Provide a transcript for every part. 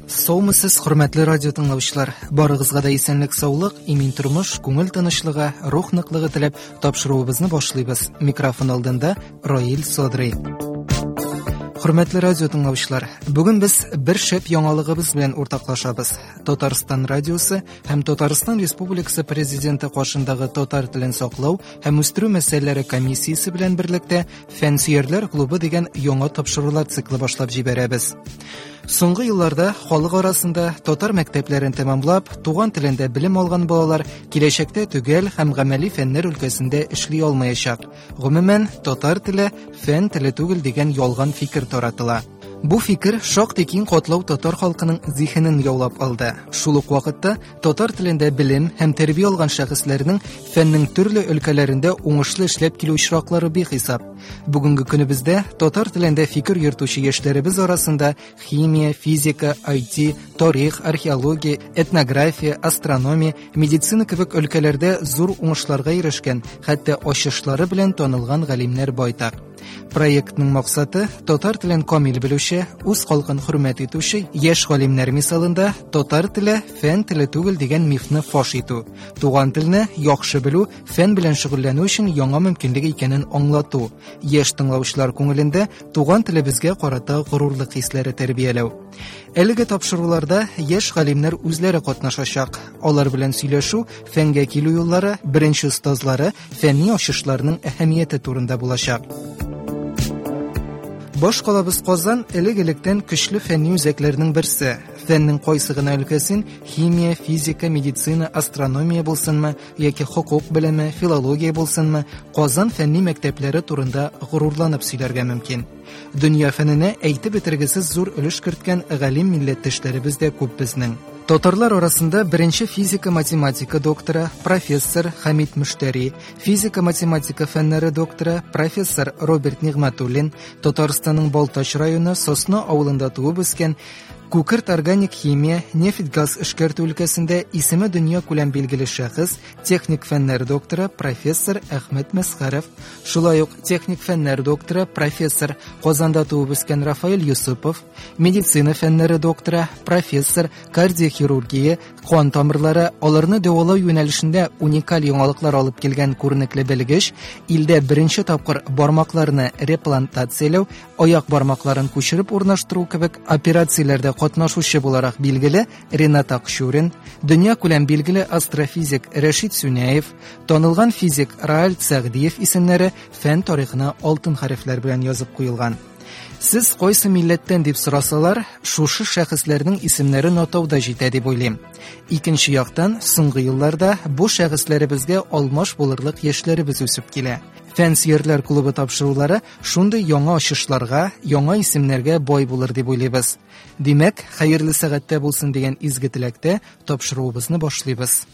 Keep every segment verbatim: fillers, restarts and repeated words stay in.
Саумысыз, хөрмәтле радио тыңлаучылар. Барыгызга да исәнлек, саулык, имин тормыш, күңел тынычлыгы, рух ныклыгы теләп тапшыруыбызны башлыйбыз. Микрофон алдында Раил Садрый. Хөрмәтле радио тыңлаучылар, бүген без бер шәп яңалыгыбыз белән уртаклашабыз. Татарстан радиосы һәм Татарстан Республикасы Президенты каршындагы татар телен саклау һәм үстерү мәсьәләләре комиссиясе белән берлектә Фәнсөярләр клубы дигән яңа тапшырулар циклы башлап җибәрәбез. Соңгы елларда халык арасында татар мәктәпләрен тәмамлап, туган телендә белем алган балалар киләчәктә төгәл һәм гамәли фәннәр өлкәсендә эшли алмаячак. Гомумән, татар теле фән теле түгел дигән ялган фикер таратыла. Бу фикер шактый киң катлау татар халкының зиһенен яулап алды. Шул ук вакытта татар телендә белем һәм тәрбия алган шәхесләрнең фәннең төрле өлкәләрендә уңышлы эшләп килү очраклары бихисап. Бүгенге көнебездә татар телендә фикер йөртүче яшьләребез арасында химия, физика, ай ти, тарих, археология, этнография, астрономия, медицина кебек өлкәләрдә зур уңышларга ирешкән, хәтта ачышлары белән танылган галимнәр байтак. Проектның максаты татар телен камил белүче, үз халкын хөрмәт итүче яшь галимнәр мисалында татар теле фән теле түгел дигән мифны фаш итү, туган телне яхшы белү, фән белән шөгыльләнү өчен яңа мөмкинлек икәнен аңлату, яшь тыңлаучылар күңелендә туган телебезгә карата горурлык хисләре тәрбияләү. Әлеге тапшыруларда яшь галимнәр үзләре катнашачак. Алар белән сөйләшү, фәнгә килү юллары, беренче остазлары, фәнни ачышларның әһәмияте турында булачак. Баш калабыз Казан элек-электән көчле фәнни үзәкләрнең берсе. Фәннең кайсы гына өлкәсен химия, физика, медицина, астрономия булсынмы, яки хокук белеме, филология булсынмы, Казан фәнни мәктәпләре турында горурланып сөйләргә мөмкин. Дөнья фәненә әйтеп бетергесез зур өлеш керткән галим милләттәшләребез дә күп безнең. Татарлар арасында беренче физика-математика докторы, профессор Хамид Мөштәри, физика-математика фәннәре докторы, профессор Роберт Нигъмәтуллин, Татарстанның Балтач районы Сосна авылында туып үскән, күкерт органик химия, нефть-газ эшкәртү өлкәсендә исеме дөнья күләм билгеле шәхес, техник фәннәр докторы, профессор Әхмәт Мәсхәров, шулай ук техник фәннәр докторы, профессор Казанда туып үскән Рафаэль Юсупов, медицина фәннәре докторы, профессор, кардиохирургия, кан тамырлары, аларны дәвалау юнәлешендә уникаль яңалыклар алып килгән күренекле белгеч, илдә беренче тапкыр бармакларны реплантацияләү, аяк бармакларын күчереп урнаштыру кебек операцияләрдә катнашучы буларак билгеле Ренат Акчурин, дөнья күләм билгеле астрофизик Рәшит Сүнәев, танылган физик Рааль Сәгъдиев исемнәре фән тарихына алтын хәрефләр белән язып куелган. Сез кайсы милләттән дип сорасалар, шушы шәхесләрнең исемнәрен атауда җитә дип уйлыйм. Икенче яктан, соңгы елларда бу шәхесләребезгә алмаш булырлык яшьләребез үсеп килә. Фәнсөярләр клубы тапшырулары шундый яңа ачышларга, яңа исемнәргә бай булыр дип уйлыйбыз. Димәк, хәерле сәгатьтә булсын дигән изге теләктә тапшыруыбызны башлыйбыз.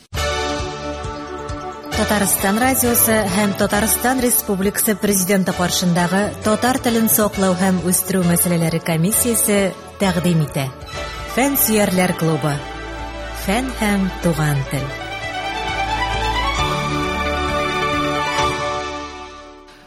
Татарстан радиосы һәм Татарстан Республикасы Президенты каршындагы татар телен саклау һәм үстерү мәсьәләләре комиссиясе тәкъдим итә. Фәнсөярләр клубы. Фән һәм туган тел.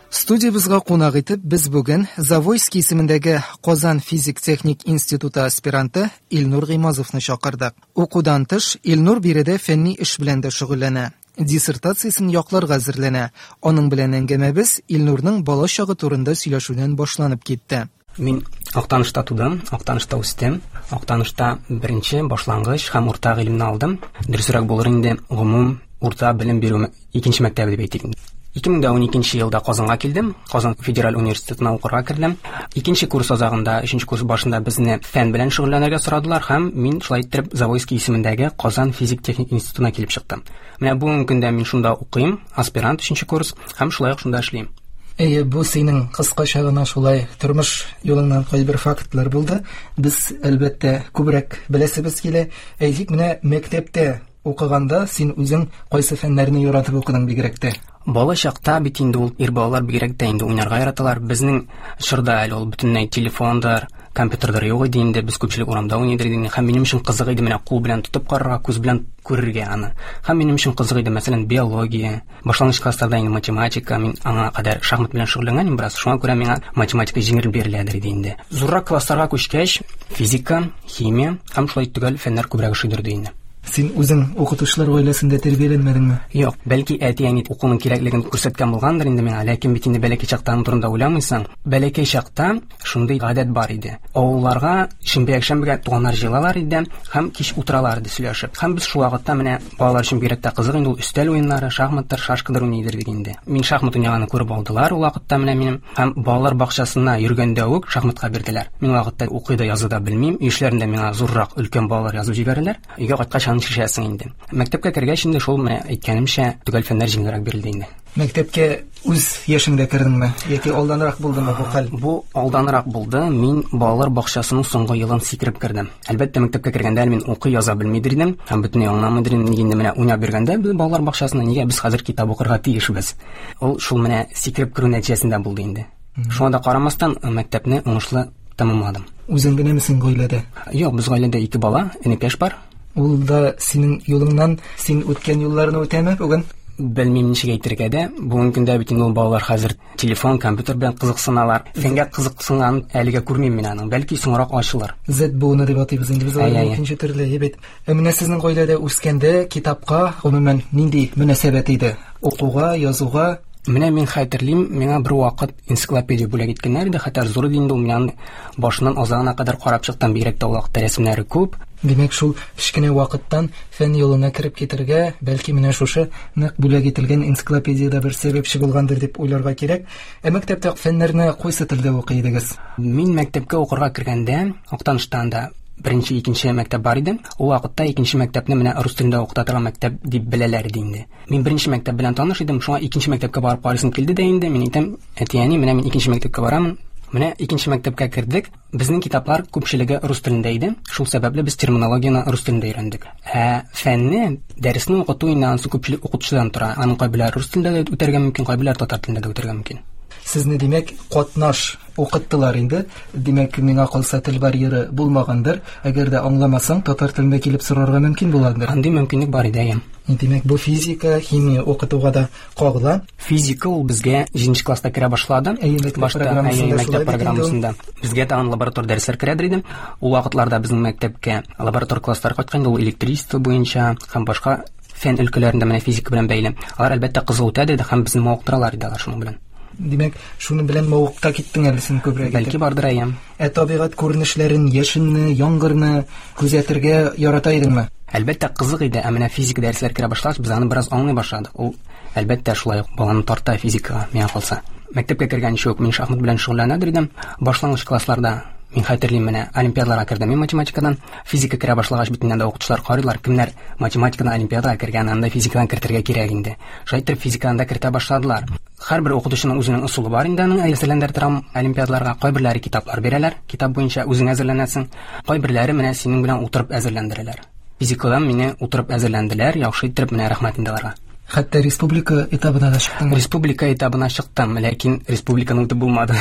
Студиябызга кунак итеп без бүген Завойский исемендәге Казан физик-техник институты аспиранты Илнур Гыймазовны чакырдык. Укудан тыш Илнур биредә фәнни эш белән дә шөгыльләнә. Диссертациясен якларга әзерләнә. Аның белән әңгәмәбез Илнурның бала чагы турында сөйләшүдән башланып китте. Мин Актанышта тудым, Актанышта үстем. Актанышта беренче башлангыч һәм урта гыйлемне алдым. Дөресрәк булыр инде, гомум урта белем бирү икенче мәктәбе дип әйтик. Ике мең дә уникенче елда Казанга килдем. Казан федераль университетына укырга кердем. Икенче курс азагында, өченче курс башында безне фән белән шөгыльләнергә сорадылар һәм мин шулай иттереп Завойский исемендәге Казан физик-техник институтына килеп чыктым. Менә бүгенге көндә мин шунда укыйм, аспирант өченче курс һәм шулай ук шунда эшлим. Әйе, бу синең кыскача гына шулай тормыш юлыңнан кайбер фактлар булды. Без әлбәттә күбрәк беләсебез килә. Әйтик, менә мәктәптә укыганда син үзең кайсы фәннәрне яратып укыдың бигрәк тә? Бала чакта бит инде ул ир балалар бигрәк тә инде уйнарга яраталар. Безнең чорда әле ул бөтенләй телефондыр, Компьютерлар юк иде инде, без күпчелек урамда уйный идек. Һәм минем өчен кызык иде менә кул белән тотып карарга, күз белән күрергә аны. Һәм минем өчен кызык иде, мәсәлән, биология, башлангыч классларда инде математика, мин аңа кадәр шахмат белән шөгыльләнгән идем бераз, шуңа күрә миңа математика җиңел биреләдер иде инде. Зуррак классларга күчкәч, физика, химия һәм шулай төгәл фәннәр күбрәк ошыйдыр инде. Син үзең укытучылар гаиләсендә тәрбияләнмәдеңме? Юк, бәлки әти-әни укуның кирәклеген күрсәткән булгандыр инде миңа, ләкин бит инде бәләкәй чакта аның турында уйламыйсың. Бәләкәй чакта шундый гадәт бар иде. Авылларга шимбә-якшәмбегә туганнар җыелалар иде һәм кич утыралар иде сөйләшеп. Һәм без шул вакытта менә балалар өчен бигрәк тә кызык инде ул өстәл уеннары, шахматтар, шашкалар уйный идек инде. Мин шахмат уйнаганны күреп алдылар ул вакытта менә минем һәм балалар бакчасына йөргәндә үк шахматка бирделәр. Мин вакытта укый да яза да белмим. Өй эшләрендә миңа зуррак өлкән балалар язып җибәрәләр. Өйгә кайткач аны шешәсең инде. Мәктәпкә кергәч инде шул менә әйткәнемчә төгәл фәннәр җиңелрәк бирелде инде. Мәктәпкә үз яшеңдә кердеңме яки алданрак булдымы бу хәл? Бу алданрак булды. Мин балалар бакчасының соңгы елын сикереп кердем. Әлбәттә, мәктәпкә кергәндә әле мин укый яза белмидер идем һәм бөтенләй аңламыйдыр идем. Нигә инде менә уйнап йөргәндә без балалар бакчасында нигә без хәзер китап укырга тиешбез? Ул шул менә сикереп керү нәтиҗәсендә булды инде. Шуңа да карамастан мәктәпне уңышлы тәмамладым. Үзең генәмесең гаиләдә? Юк, без гаиләдә ике бала, энекәш бар. Ул да синең юлыңнан, син үткән юлларны үтәме бүген? Белмим ничек әйтергә дә. Бүгенге көндә бит инде ул балалар хәзер телефон, компьютер белән кызыксыналар. Фәнгә кызыксынган әлегә күрмим мин аның. Бәлки соңрак ачылыр. Z буыны дип атыйбыз инде без аларны икенче төрле, бит. Ә менә сезнең гаиләдә үскәндә китапка гомумән нинди мөнәсәбәт иде? Укуга, язуга? Менә мин хәтерлим, миңа бер вакыт энциклопедия бүләк иткәннәр иде, хәтта зур иде инде ул, мин аны башыннан азагына кадәр карап чыктым, бигрәк тә ул вакытта рәсемнәре күп. Димәк, шул кечкенә вакыттан фән юлына кереп китергә, бәлки менә шушы нык бүләк ителгән энциклопедиядә бер сәбәпче булгандыр дип уйларга кирәк. Ә мәктәптә фәннәрне кайсы телдә укый идегез? Мин мәктәпкә укырга кергәндә, Актаныштан да беренче, икенче мәктәп бар иде. Ул вакытта икенче мәктәпне менә рус телендә укыта торган мәктәп дип беләләр иде инде. Мин беренче мәктәп белән таныш идем, шуңа икенче мәктәпкә барып карыйсым килде дә инде. Мин әйтәм, әти-әни, менә мин икенче мәктәпкә барам. Менә икенче мәктәпкә кердек. Безнең китаплар күпчелеге рус телендә иде. Шул сәбәпле без терминологияне рус телендә өйрәндек. Ә фәнне, дәресне укыту инде анысы күпчелек укытучыдан тора. Аның кайберләре рус телендә дә үтәргә мөмкин, кайберләре татар телендә дә үтәргә мөмкин. Сезне, димәк, катнаш укыттылар инде. Димәк, миңа калса тел барьеры булмагандыр. Әгәр дә аңламасаң, татар телендә килеп сорарга мөмкин буладыр. Андый мөмкинлек бар иде, әйе. Димәк, бу физика, химия укытуга да кагыла. Физика ул безгә җиденче класста керә башлады. Әйе, мәктәп программасында, мәктәп программасында. Безгә тагын лаборатор дәресләр керәдер иде. Ул вакытларда безнең мәктәпкә лаборатор класслар кайткан иде, ул электричество буенча һәм башка фән өлкәләрендә менә физика белән бәйле. Алар әлбәттә кызык үтә иде һәм безне мавыктыралар иде алар шуның белән. Димәк, шуның белән мавыкта киттең әле син күбрәк. Бәлки бардыр, әйе. Ә табигать күренешләрен, яшенне, яңгырны күзәтергә ярата идеңме? Әлбәттә, кызык иде. Ә менә физика дәресләр керә башлагач, без аны бераз аңлый башладык. Ул әлбәттә шулай ук баланы тарта физикага, миңа калса. Мәктәпкә кергәнче үк мин шахмат белән шөгыльләнә идем. Башлангыч классларда мин хәтерлим, менә олимпиадаларга кердем мин математикадан. Физика керә башлагач бит инде укытучылар карыйлар, кемнәр математикадан олимпиадага кергән, анда физикадан кертергә кирәк инде. Шулай итеп физикадан да кертә башладылар. Һәрбер укытучының үзенең ысулы бар инде аның әзерләндерә торган олимпиадаларга. Кайберләре китаплар бирәләр, китап буенча үзең әзерләнәсең. Кайберләре менә синең белән утырып әзерләндерәләр. Физикадан мине утырып әзерләнделәр, яхшы итеп менә рәхмәт инде аларга. Хәтта республика этабына да чыктың. Республика этабына чыктым, ләкин республиканы үтеп булмады.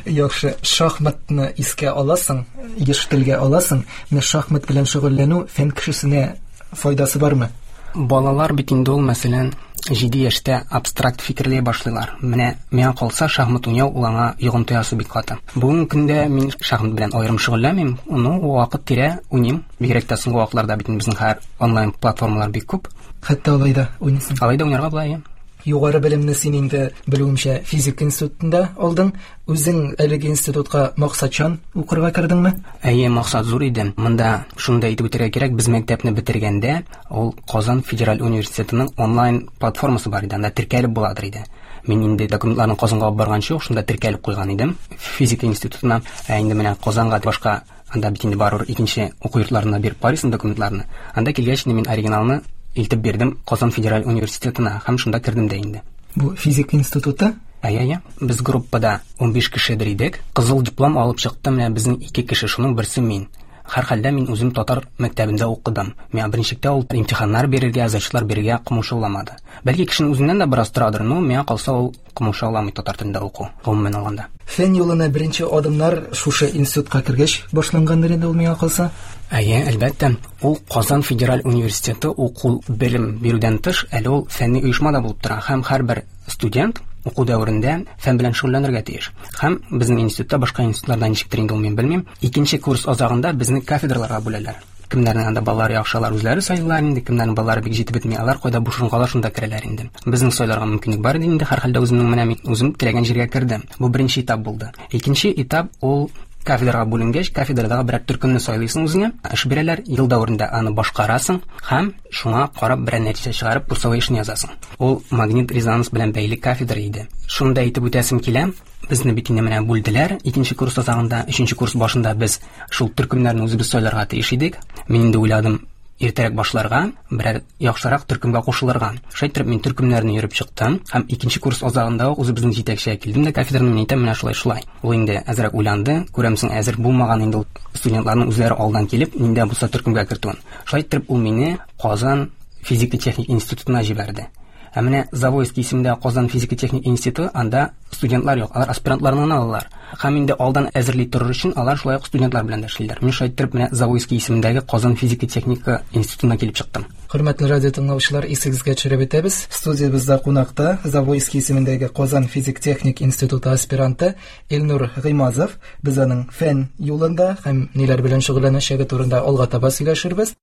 Яхшы, шахматны искә аласың, еш телгә аласың. Менә шахмат белән шөгыльләнү фән кешесенә файдасы бармы? Балалар бит инде ул, мәсәлән, җиде яшьтә абстракт фикерли башлыйлар. Менә миңа калса шахмат уйнау ул аңа йогынты ясый бик каты. Бүгенге көндә мин шахмат белән аерым шөгыльләнмим, ну, вакыт тирә уйныйм. Бигрәк тә соңгы вакытларда бит безнең һәр онлайн платформалар бик күп. Хәтта алай да уйныйсың. Алай да уйнарга була, әйе. Югары белемне син инде белүемчә физика институтында алдың. Үзең әлеге институтка максатчан укырга кердеңме? Әйе, максат зур иде. Монда шуны да әйтеп үтәргә кирәк, без мәктәпне бетергәндә ул Казан федераль университетының онлайн платформасы бар иде, анда теркәлеп буладыр иде. Мин инде документларны Казанга алып барганчы ук шунда теркәлеп куйган идем физика институтына. Ә инде менә Казанга башка анда бит инде барыбер икенче уку йортларына биреп карыйсың документларны. Анда килгәч инде мин оригиналны илтеп бирдем Казан федераль университетына һәм шунда кердем дә инде. Бу физика институты? Әйе, әйе. Без группада унбиш кешедер идек. Кызыл диплом алып чыктым, менә безнең ике кеше, шуның берсе мин. Һәрхәлдә мин үзем татар мәктәбендә укыдым. Миңа беренчелектә ул имтиханнар бирергә, зачетлар бирергә комачауламады. Бәлки кешенең үзеннән дә бераз торадыр, но миңа калса ул комачауламый татар телендә уку, гомумән алганда. Фән юлына беренче адымнар шушы институтка кергәч башлангандыр инде ул миңа калса? Әйе, әлбәттә. Ул Казан федераль университеты уку белем бирүдән тыш, әле ул фәнни оешма да булып тора һәм һәрбер студент уку дәверендә фән белән шөгыльләнергә тиеш. Һәм безнең институтта, башка институтларда ничектер инде ул мин белмим, икенче курс азагында безне кафедраларга бүләләр. Кемнәрнең анда балалары яхшы, алар үзләре сайлыйлар инде, кемнәрнең балалары бик җитеп бетми, алар кайда буш урын кала шунда керәләр инде. Безнең сайларга мөмкинлек бар иде инде, һәрхәлдә үземнең менә мин үзем теләгән җиргә кердем. Бу беренче этап булды. Икенче этап ул кафедрага бүленгәч, кафедрадагы берәр төркемне сайлыйсың үзеңә, эш бирәләр, ел дәверендә аны башкарасың һәм шуңа карап берәр нәтиҗә чыгарып курсовой эшне язасың. Ул магнит резонанс белән бәйле кафедра иде. Шуны да әйтеп үтәсем килә, безне бит инде менә бүлделәр. Икенче курс азагында, өченче курс башында без шул төркемнәрне үзебез сайларга тиеш идек. Мин инде уйладым, иртәрәк башларга, берәр яхшырак төркемгә кушылырга. Шулай итеп мин төркемнәрне йөреп чыктым һәм икенче курс азагында ук үзебезнең җитәкчегә килдем дә кафедраны мин әйтәм, менә шулай шулай. Ул инде әзрәк уйланды, күрәмсең, әзер булмаган инде ул студентларның үзләре алдан килеп, нинди булса төркемгә кертүен. Шулай итеп ул мине Казан физика-техник институтына җибәрде. Ә менә Завойский исемендә Казан физика-техник институты, анда студентлар юк, алар аспирантларны гына алалар. Һәм инде алдан әзерли торыр өчен алар шулай ук студентлар белән дә эшлиләр. Мин шулай итеп менә Завойский исемендәге Казан физика-техника институтына килеп чыктым. Хөрмәтле радио тыңлаучылар, исегезгә төшереп үтәбез. Студиябездә кунакта Завойский исемендәге Казан физик-техник институты аспиранты Илнур Гыймазов. Без аның фән юлында һәм ниләр белән шөгыльләнәчәге турында алга таба сөйләшербез.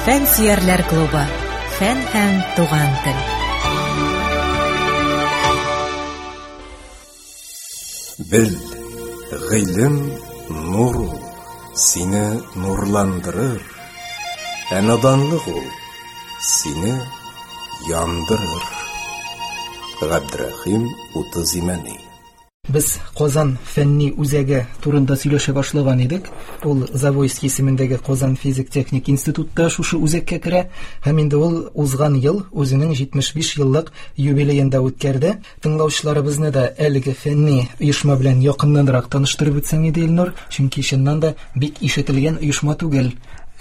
Фән сөярләр клубы. Фән һәм туган тел. Бел, гыйлем нур ул, сине нурландырыр. Ә наданлык ул сине яндырыр. Габдрахим Утыз Имәни. Без Казан фәнни үзәге турында сөйләшә башлаган идек. Ул Завойский исемендәге Казан физик-техник институтта шушы үзәккә керә һәм инде ул узган ел үзенең җитмеш биш еллык юбилеен да үткәрде. Тыңлаучыларыбызны да әлеге фәнни оешма белән якыннанрак таныштырып үтсәң иде, Илнур, чөнки чыннан да бик ишетелгән оешма түгел.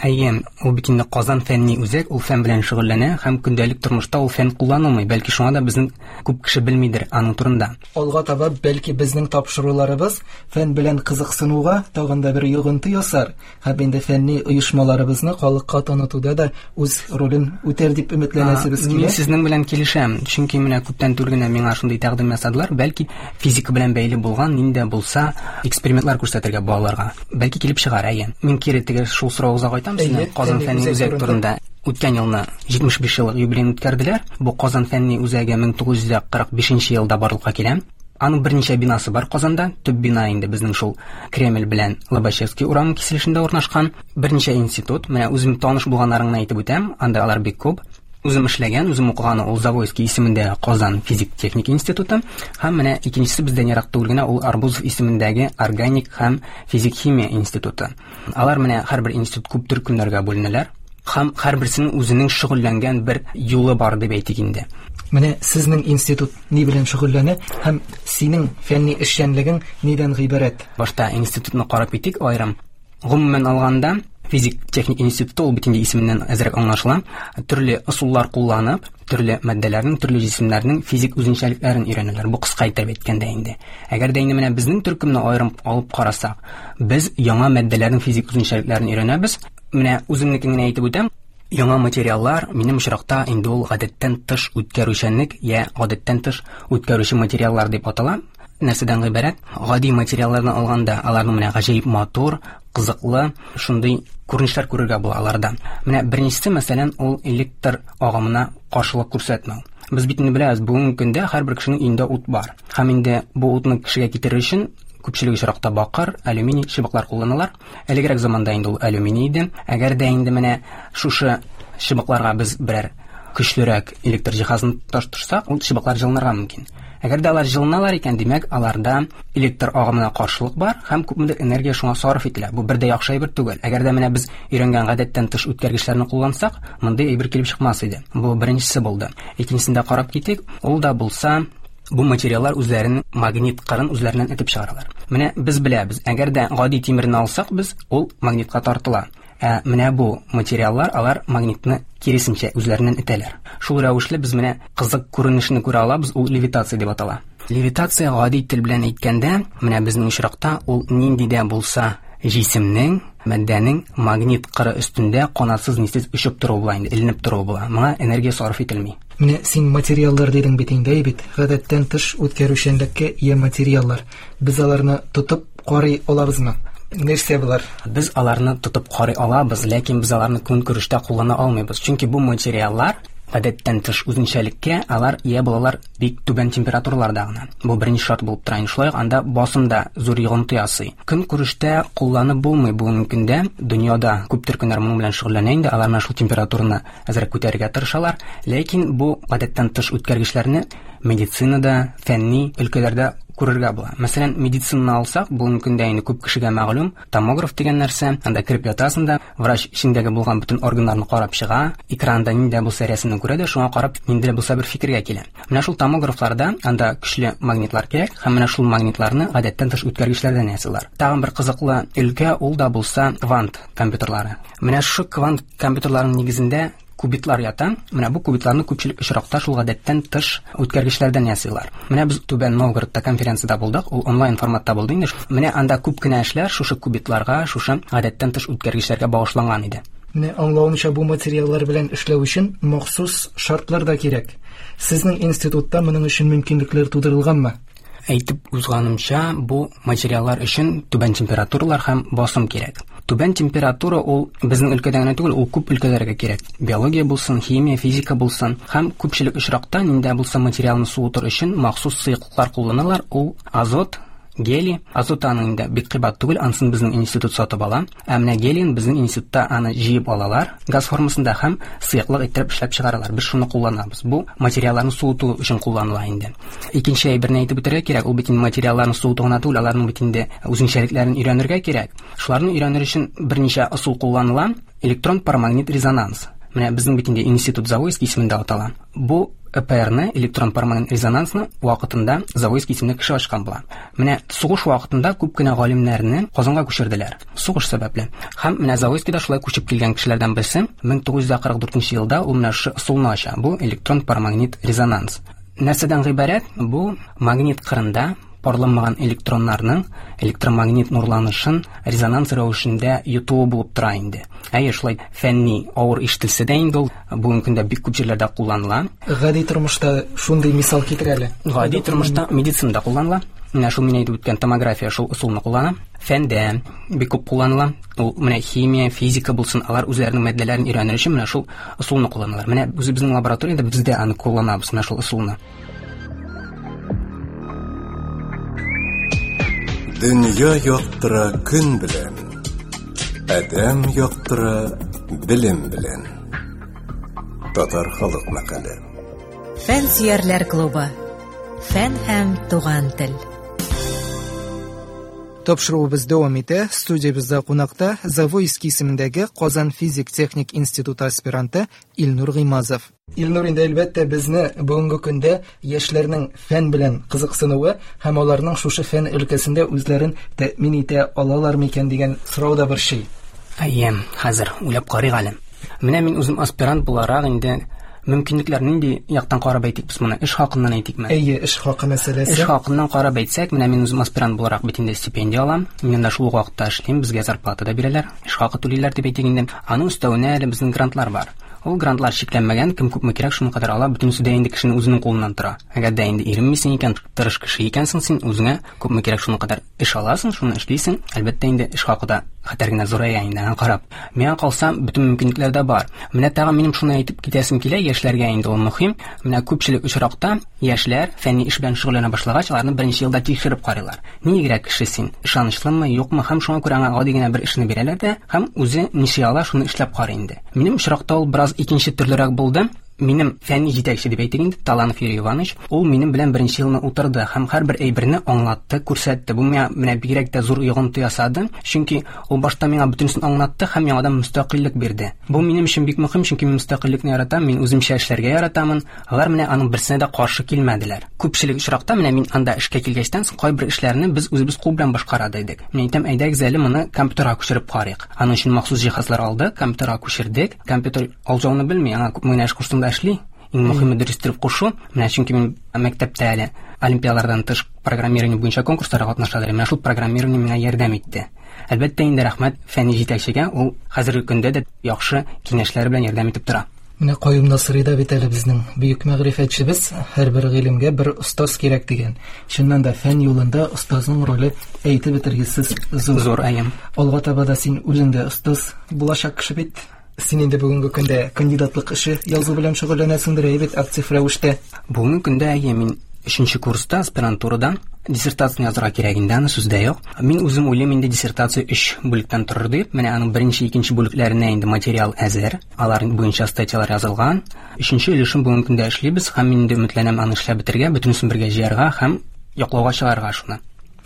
Әйе, ул бит инде Казан фәнни үзәк, ул фән белән шөгыльләнә һәм көндәлек тормышта ул фән кулланылмый. Бәлки шуңа да безнең күп кеше белмидер аның турында. Алга таба бәлки безнең тапшыруларыбыз фән белән кызыксынуга тагын да бер йогынты ясар һәм инде фәнни оешмаларыбызны халыкка танытуда да үз ролен үтәр дип өметләнәсебез килә. Мин сезнең белән килешәм, чөнки менә күптән түгел генә миңа шундый тәкъдим ясадылар, бәлки физика белән бәйле булган нинди дә булса экспериментлар күрсәтергә балаларга. Бәлки килеп чыгар, әйе. Мин кире теге шул сорауга кайтам. Әйе, Казан фәнни фәнни үзәк үзәк турында. турында. Үткән елны җитмеш биш еллык юбилейын үткәрделәр. Бу Казан фәнни үзәге мең тугыз йөз кырык бишенче елда барлыкка килә. Аның берничә бинасы бар Казанда. Төп бина инде безнең шул Кремль белән Лобачевский урамы киселешендә урнашкан. Берничә институт, менә үзем таныш булганнарын гына әйтеп үтәм, анда алар бик күп. Үзем эшләгән, үзем укыган ул Завойский исемендәге Казан физик-техник институты һәм менә икенчесе бездән ерак түгел генә ул Арбузов исемендәге органик һәм физик-химия институты. Алар менә һәрбер институт күп төркемнәргә бүленәләр һәм һәрберсенең үзенең шөгыльләнгән бер юлы бар дип әйтик инде. Менә сезнең институт ни белән шөгыльләнә һәм синең фәнни эшчәнлегең нидән гыйбарәт? Башта институтны карап китик аерым. Гомумән алганда, физик-техник институты ул бит инде исеменнән әзрәк аңлашыла. Төрле ысуллар кулланып, төрле матдәләрнең, төрле җисемнәрнең физик үзенчәлекләрен өйрәнәләр. Бу кыска итеп әйткәндә инде. Әгәр дә инде менә безнең төркемне аерым алып карасак, без яңа матдәләрнең физик үзенчәлекләрен өйрәнәбез. Менә үземнекен генә әйтеп үтәм. Яңа материаллар минем очракта инде ул гадәттән тыш үткәрүчәнлек я гадәттән тыш үткәрүче материаллар дип атала. Нәрсәдән гыйбарәт? Гади материалларны алганда аларның менә гаҗәеп матур, кызыклы шундый күренешләр күрергә була аларда. Менә беренчесе, мәсәлән, ул электр агымына каршылык күрсәтмәү. Без бит инде беләбез, бүгенге көндә һәрбер кешенең өендә ут бар. Һәм инде бу утны кешегә китерер өчен күпчелек очракта бакыр, алюминий чыбыклар кулланалар. Элегрәк заманда инде ул алюминий иде. Әгәр дә инде менә шушы чыбыкларга без берәр көчлерәк электр җиһазын тоташтырсак, ул чыбыклар җылынырга мөмкин. Әгәр дә алар җылыналар икән, димәк, аларда электр агымына каршылык бар һәм күпмедер энергия шуңа сарыф ителә. Бу бер дә яхшы әйбер түгел. Әгәр дә менә без өйрәнгән гадәттән тыш үткәргечләрне куллансак, мондый әйбер килеп чыкмас иде. Бу беренчесе булды. Икенчесен дә карап китик. Ул да булса Бу материаллар үзләренең магнит кырын үзләреннән этеп чыгаралар. Менә без беләбез, әгәр дә гади тимерне алсак без, ул магнитка тартыла. Ә менә бу материаллар, алар магнитны киресенчә үзләреннән этәләр. Шул рәвешле без менә кызык күренешне күрә алабыз, ул левитация дип атала. Левитация гади тел белән әйткәндә, менә безнең очракта ул нинди дә булса җисемнең, матдәнең магнит кыры өстендә канатсыз нисез очып торуы була инде, эленеп торуы була. Моңа энергия сарыф ителми. Менә син материаллар дидең бит инде, бит. Гадәттән тыш үткәрүчәнлеккә ия материаллар. Без аларны тотып карый алабызмы? Нәрсә булар? Без аларны тотып карый алабыз, ләкин без аларны көнкүрештә куллана алмыйбыз. Чөнки бу материаллар гадәттән тыш үзенчәлеккә алар ия булалар бик түбән температураларда гына. Бу беренче шарт булып тора. Шулай ук анда басым да зур йогынты ясый. Көнкүрештә кулланып булмый бүгенге көндә. Дөньяда күп төркемнәр моның белән шөгыльләнә инде, алар менә шул температураны әзрәк күтәрергә тырышалар. Ләкин бу гадәттән тыш үткәргечләрне медицинада, фәнни өлкәләрдә күрергә була. Мәсәлән, медицинаны алсак, бүгенге көндә инде күп кешегә мәгълүм томограф дигән нәрсә. Анда кереп ятасың да, врач эчендәге булган бөтен органнарны карап чыга, экранда нинди булса рәсемне күрә дә, шуңа карап нинди булса бер фикергә килә. Менә шул томографларда анда көчле магнитлар кирәк, һәм менә шул магнитларны гадәттән тыш үткәргечләрдән ясыйлар. Тагын бер кызыклы өлкә ул да булса квант компьютерлары. Менә шул квант компьютерларының нигезендә кубитлар ята. Менә бу кубитларны күпчелек очракта шул гадәттән тыш үткәргечләрдән ясыйлар. Менә без Түбән Новгородта конференцияда булдык, ул онлайн форматта булды инде. Менә анда күп кенә эшләр шушы кубитларга, шушы гадәттән тыш үткәргечләргә багышланган иде. Менә аңлавымча, бу материаллар белән эшләү өчен махсус шартлар да кирәк. Сезнең институтта моның өчен мөмкинлекләр тудырылганмы? Әйтеп узганымча, бу материаллар өчен түбән температуралар һәм басым кирәк. Түбән температура ул безнең өлкәдә генә түгел, ул күп өлкәләргә кирәк. Биология булсын, химия, физика булсын. Һәм күпчелек очракта нинди булса материалны суытыр өчен махсус сыеклыклар кулланалар. Ул азот, гелий. Азот аның инде бик кыйбат түгел, анысын безнең институт сатып ала. Ә менә гелийны безнең институтта аны җыеп алалар газ формасында һәм сыеклык иттереп эшләп чыгаралар. Без шуны кулланабыз. Бу материалларны суыту өчен кулланыла инде. Икенче әйберне әйтеп үтәргә кирәк, ул бит инде материалларны суыту гына түгел, аларның бит инде үзенчәлекләрен өйрәнергә кирәк. Шуларны өйрәнер өчен берничә ысул кулланыла. Электрон парамагнит резонанс. Менә безнең бит инде институт Завойский исемендә атала. Бу Э П Рны, электрон парамагнит резонансны вакытында Завойский исемле кеше ачкан була. Менә сугыш вакытында күп кенә галимнәрне Казанга күчерделәр. Сугыш сәбәпле. Һәм менә Завойскийда шулай күчеп килгән кешеләрдән берсе мең тугыз йөз кырык дүртенче елда ул менә шушы ысулны ача. Бу электрон парамагнит резонанс. Нәрсәдән гыйбарәт? Бу магнит кырында парланмаган электроннарның электромагнит нурланышын резонанс рәвешендә йотуы булып тора инде. Әйе, шулай фәнни авыр ишетелсә дә инде ул бүгенге көндә бик күп җирләрдә кулланыла. Гади тормышта шундый мисал китер әле. Гади тормышта медицинада кулланыла. Менә шул мин әйтеп үткән томография шул ысулны куллана. Фәндә бик күп кулланыла. Ул менә химия, физика булсын, алар үзләренең матдәләрен өйрәнер өчен менә шул ысулны кулланалар. Менә үзебезнең лабораториядә без дә аны кулланабыз, менә шул ысулны. Дөнья яктыра көн белән, адәм яктыра белем белән. Татар халык мәкале. Фән сөярләр клубы. Фән һәм туган тел. Тапшыруыбыз дәвам итә. Студиябездә кунакта Завойский исемендәге Казан физик-техник институты аспиранты Илнур Гыймазов. Илнур, инде әлбәттә безне бүгенге көндә яшьләрнең фән белән кызыксынуы һәм аларның шушы фән өлкәсендә үзләрен тәэмин итә алалар микән дигән сорау да борчый. Әйе, хәзер уйлап карыйк әле. Менә мин үзем аспирант буларак инде мөмкинлекләр нинди яктан карап әйтик без моны? Эш хакыннан әйтикме? Әйе, эш хакы мәсьәләсе. Эш хакыннан карап әйтсәк, менә мин үзем аспирант буларак бит инде стипендия алам. Мин анда шул ук вакытта эшлим, безгә зарплата да бирәләр, эш хакы түлиләр дип әйтик инде. Аның өстәвенә әле безнең грантлар бар. Ул грантлар чикләнмәгән, кем күпме кирәк, шуның кадәр ала, бөтенесе дә инде кешенең үзенең кулыннан тора. Әгәр дә инде иренмисең икән, тырыш кеше икәнсең син, үзеңә күпме кирәк, шуның кадәр эш аласың, шуны эшлисең. Әлбәттә инде эш хакы да хәтәр генә зурая инде, аңа карап. Миңа калса, бөтен мөмкинлекләр дә бар. Менә тагын минем шуны әйтеп китәсем килә, яшьләргә инде ул мөһим. Менә күпчелек очракта яшьләр фәнни эш белән шөгыльләнә башлагач, аларны беренче елда тикшереп карыйлар. Ниндирәк кеше син, ышанычлымы, юкмы, һәм шуңа күрә аңа гади генә бер эшне бирәләр дә, һәм үзе ничә ала, шуны эшләп карый инде. Минем очракта ул бераз икенче төрлерәк булды. Минем фәнни җитәкче дип әйтик инде, Таланов Юрий Иванович, ул минем белән беренче елны утырды һәм һәрбер әйберне аңлатты, күрсәтте. Бу миңа менә бигрәк тә зур йогынты ясады, чөнки ул башта миңа бөтенесен аңлатты һәм яңадан мөстәкыйльлек бирде. Бу минем өчен бик мөһим, чөнки мин мөстәкыйльлекне яратам, мин үземчә эшләргә яратамын. Алар менә аның берсенә дә каршы килмәделәр. Күпчелек очракта менә мин анда эшкә килгәчтән соң кайбер эшләрне без үзебез кул белән башкара идек. Мин әйтәм, әйдәгез әле моны компьютерга күчереп карыйк. Аның өчен махсус җиһазлар алдык, компьютерга күчердек. Компьютер алҗауны белми, аңа күпме генә эш куштың да эшли. Иң мөһиме дөрес итеп кушу. Менә чөнки мин мәктәптә әле олимпиадалардан тыш программирование буенча конкурсларга катнаша идем. Менә шул программирование миңа ярдәм итте. Әлбәттә инде рәхмәт фәнни җитәкчегә, ул хәзерге көндә дә яхшы киңәшләре белән ярдәм итеп тора. Менә Каюм Насыйри да бит әле безнең бөек мәгърифәтчебез, һәрбер гыйлемгә бер остаз кирәк дигән. Чыннан да фән юлында остазның роле әйтеп бетергесез зур. Зур, әйе. Алга таба да син үзең дә остаз булачак кеше бит. Син инде бүгенге көндә кандидатлык эше язу белән шөгыльләнәсеңдер, әйе бит, актив рәвештә. Бүгенге көндә әйе, мин өченче курста аспирантурада диссертацияне язырга кирәк инде, аны сүздә юк. Мин үзем уйлыйм инде диссертация өч бүлектән торыр дип. Менә аның беренче, икенче бүлекләренә инде материал әзер. Алар буенча статьялар язылган. Өченче өлешен бүгенге көндә эшлибез һәм мин инде өметләнәм аны эшләп бетерергә, бөтенесен бергә җыярга һәм яклауга чыгарга шуны.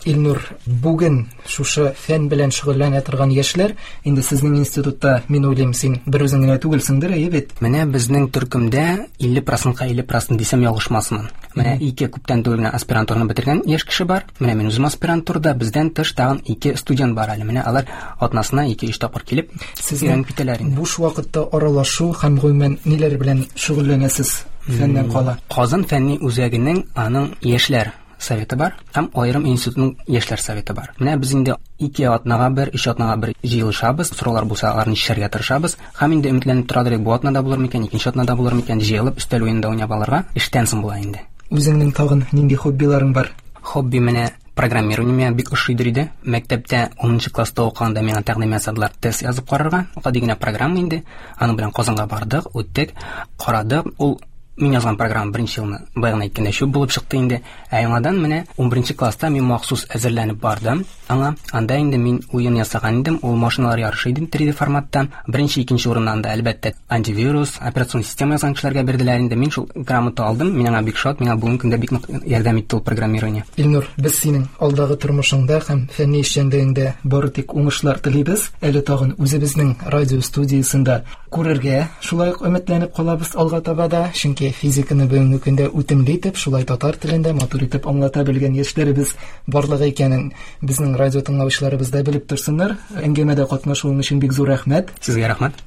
Илнур, бүген шушы фән белән шөгыльләнә торган яшьләр, инде сезнең институтта, мин уйлыйм, син бер үзең генә түгелсеңдер, әйе бит? Менә безнең төркемдә илле процентка илле процент дисәм ялгышмасмын. Менә ике күптән түгел генә аспирантураны бетергән яшь кеше бар. Менә мин үзем аспирантурада, бездән тыш тагын ике студент бар әле. Менә алар атнасына ике-өч тапкыр килеп сезнең өйрәнеп китәләр инде. Буш вакытта аралашу һәм гомумән ниләр белән шөгыльләнәсез фәннән кала? Казан фәнни үзәгенең аның яшьләр советы бар һәм аерым институтның яшьләр советы бар. Менә без инде ике атнага бер, өч атнага бер җыелышабыз, сораулар булса аларны чишәргә тырышабыз һәм инде өметләнеп торадыр, бу атнада булыр микән, икенче атнада булыр микән, җыелып өстәл уенында уйнап алырга эштән соң була инде. Үзеңнең тагын нинди хоббиларың бар? Хобби менә программирование миңа бик ошыйдыр иде. Мәктәптә унынчы класста укыганда миңа тәкъдим ясадылар тест язып карарга. Гади генә программа инде. Аның белән Казанга бардык, үттек, карадык. Ул мин язган программа беренче елны баягы әйткәндә чүп булып чыкты инде. Ә яңадан менә унберенче класста мин махсус әзерләнеп бардым. Аңа анда инде мин уен ясаган идем, ул машиналар ярышы иде три дэ форматта. Беренче, икенче урыннан да әлбәттә антивирус, операцион система язган кешеләргә бирделәр инде. Мин шул грамота алдым, мин аңа бик шат, миңа бүгенге көндә бик нык ярдәм итте ул программирование. Илнур, без синең алдагы тормышыңда һәм фәнни эшчәнлегеңдә бары тик уңышлар телибез. Әле тагын үзебезнең радио студиясендә күрергә шулай ук өметләнеп калабыз алга таба да, чөнки физиканы бүгенге көндә үтемле итеп, шулай татар телендә матур итеп аңлата белгән яшьләребез барлыгы икәнен безнең радио тыңлаучыларыбыз да белеп торсыннар. Әңгәмәдә катнашуың өчен бик зур рәхмәт. Сезгә рәхмәт.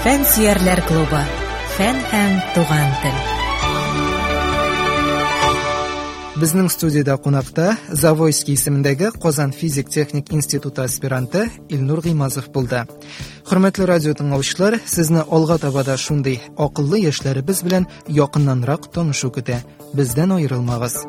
Фән сөярләр клубы. Фән һәм туган тел. Безнең студияда кунакта Завойский исемендәге Казан физик-техник институты аспиранты Илнур Гыймазов булды. Хөрмәтле радио тыңлаучылар, сезне алга таба да шундый акыллы яшьләребез белән якыннанрак танышу көтә. Бездән аерылмагыз.